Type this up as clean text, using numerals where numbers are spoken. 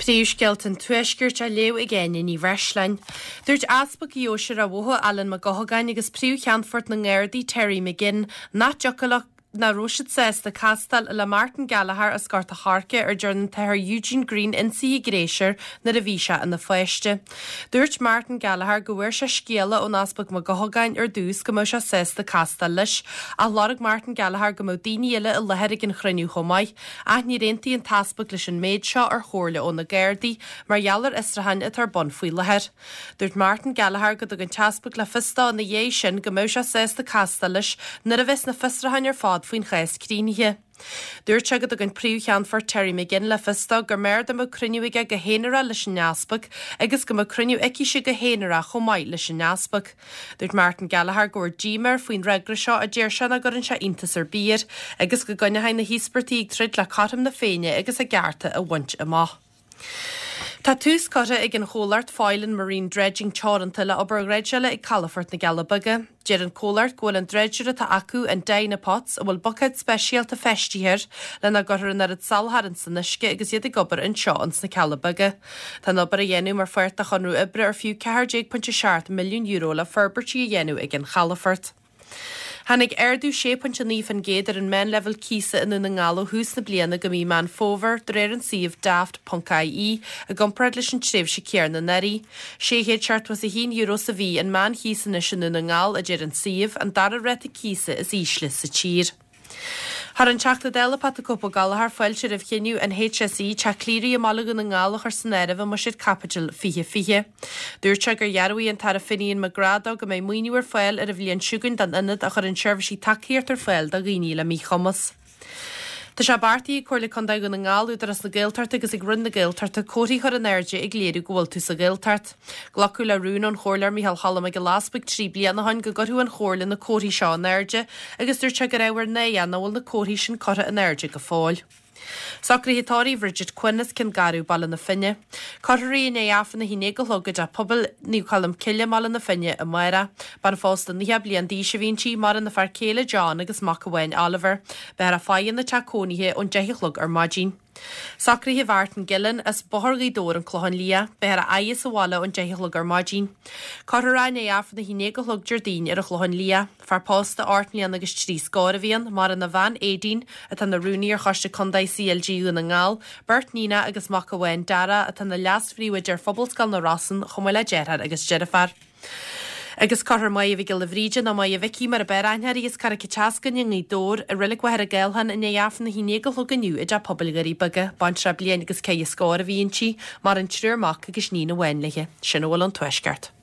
Príomhscéalta an Tuaiscirt á léamh ag Áine Ní Bhreisleáin. Dúirt Easpag Dheoise Ráth Bhoth, Alan Mac Eochagáin agus Príomh-Cheannfort na nGardaí, Terry McGinn, nach dtiocfadh leo nach raibh siad sásta castáil le Martin Gallagher as Gort a' Choirce ar dearna an tAthair Eugene Greene ionsaithe gnéis air nuair a bhí sé ina pháiste. Dúirt Martin Gallagher go bhfuair sé scéala ón Easpag Mac Eochagáin ar dtús go mbeadh sé sásta castáil leis, ach lorg Martin Gallagher go mbeadh daoine eile i láthair ag an chruinniú chomh maith. Ach níor aontaigh an tEaspag leis an méid seo ar chomhairle ó na Gardaí mar gheall ar fhiosrúcháin atá ar bun faoi láthair. Dúirt Martin Gallagher go dtug an tEaspag le fios dó ina dhiaidh sin go mbeadh sé sásta castáil leis nuair a bheas na fiosrúcháin ar fad faoin chás críochnaithe. Dúirt sé go dtug an Príomh-Cheannfort Terry McGinn le fios dó gur mb'fhearr dá mbeadh cruinniú aige go haonarach leis an Easpag agus go mbeadh cruinniú aicise go haonarach chomh maith leis an Easpag. Dúirt Martin Gallagher go bhfuil díomá air faoin fhreagra seo a deir sé nach gcuireann sé iontas ar bith air agus go gcoinneoidh na híospartaigh ag troid le cothrom na Féinne agus a gcearta a bhaint amach. Tá tús curtha ag an chomhlacht Foylan Marine Dredging Teoranta le obair dhreidseála ag Calafort na gCealla Beaga. Deir an comhlacht go bhfuil an dreidsire atá acu, an Dyna Potts, a bhfuil buicéad speisialta feistithe air lena gcuirfear an oiread salachar san uisce agus iad ag obair anseo ins na Cealla Beaga. Tá an obair á dhéanamh mar pháirt de chonradh oibre ar fiú €14.7 milliún le forbairtí a dhéanamh ag an chalafort. Tháinig ardú 6.9% ar an meánleibhéal cíosa i nDún na nGall ó thús na bliana go mí Meán Fómhair, de réir an suímh Daft.ie, i gcomparáid leis an tréimhse céanna anuraidh. €671 sa mhí an meánchíos anois i nDún na nGall, a deir an suíomh, an dara ráta cíosa is ísle sa tír. Chuir an Teachta Dála Pat 'The Cope' Ó Gallchóir fáilte roimh chinneadh an HSE Teach Cléirigh i mBaile Dhún na nGall a chur san áireamh i mBuiséad Caipitil 2020. Dúirt sé gur dhearbhaigh an tAire Finian McGrath dó go mbeidh maoiniú ar fáil ar an bhliain seo chugainn don ionad a chuireann seirbhísí tacaíochta ar fáil do dhaoine le míchumas. Tá sé beartaithe ag Comhairle Contae Dhún na nGall, Údarás na Gaeltachta agus ag Roinn na Gaeltachta comharthaí a chur in airde ag léiriú go bhfuil tú sa Ghaeltacht. Glacadh le rún ón Chomhairleoir Micheál Cholm Mac Giolla Easbuig 3 bliana ó shin go gcuirfeadh an Chomhairle na comharthaí seo in airde agus dúirt sé gur ábhar náire é nach bhfuil na comharthaí sin curtha in airde go fóill. Socruithe tórraimh Bridget Quinn as Cionn Garbh, Baile na Finne. Cuirfear í i ndiaidh Aifreann 11 a chlog i dTeach Pobail Naomh Colm Cille i mBaile na Finne amárach. Bean phósta 90 bliain d'aois a bhí inti, maireann a fear céile John agus mac amháin Oliver. Beifear á faire ina teach cónaithe ón 10 a chlog ar maidin. Socruithe Mhartin Gillen as Bóthar Ghaoth Dobhair, An Clochán Liath. Beifear á fhaire sa bhaile ón 10 a chlog ar maidin. Cuirfear é i ndiaidh Aifreann 11 a chlog Déardaoin ar an Chlochán Liath. Fear pósta 8 mbliana agus 3 scór a bhí ann, maireann a bhean Aideen, atá ina rúnaí ar Choiste Contae CLG Dhún na nGall, beirt níonacha agus mac amháin, Darragh, atá ina leas-phríomhoide ar Phobalscoil na Rosann, chomh maith le deartháir agus deirfiúr. Agus cuirfear Máire Mhic Giolla Bhríde, nó Máire Mhicí mar ab fhearr aithne uirthi, as Carraig an tSeascainn i nGaoth Dobhair, i Reilig Mhachaire Gathlán i ndiaidh Aifreann 11 a chlog inniu i dTeach Pobail Dhoirí Beaga. Baintreach bliain agus ceithre scór a bhí inti, maireann triúr mac agus níon amháin léi. Sin a bhfuil ón Tuaisceart.